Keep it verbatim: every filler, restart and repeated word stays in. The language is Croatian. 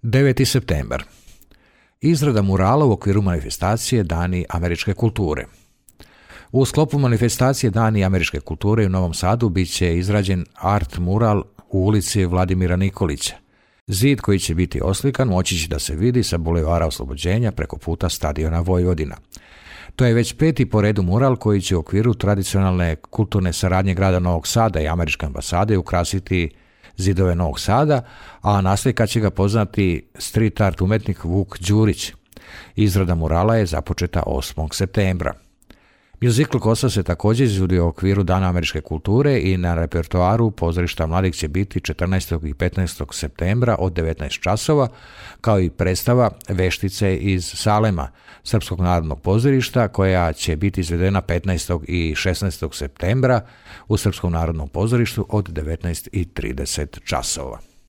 deveti septembar. Izrada murala u okviru manifestacije Dani američke kulture. U sklopu manifestacije Dani američke kulture u Novom Sadu bit će izrađen art mural u ulici Vladimira Nikolića. Zid koji će biti oslikan moći će da se vidi sa Bulevara Oslobođenja preko puta Stadiona Vojvodina. To je već peti po redu mural koji će u okviru tradicionalne kulturne saradnje grada Novog Sada i američke ambasade ukrasiti zidove Novog Sada, a naslika će ga poznati street art umetnik Vuk Đurić. Izrada murala je započeta osmog septembra. Musical Kosa se također izvodi u okviru Dana američke kulture i na repertoaru pozorišta mladih će biti četrnaestog i petnaestog septembra od devetnaest časova, kao i predstava Veštice iz Salema, Srpskog narodnog pozorišta, koja će biti izvedena petnaestog i šesnaestog septembra u Srpskom narodnom pozorištu od devetnaest i trideset časova.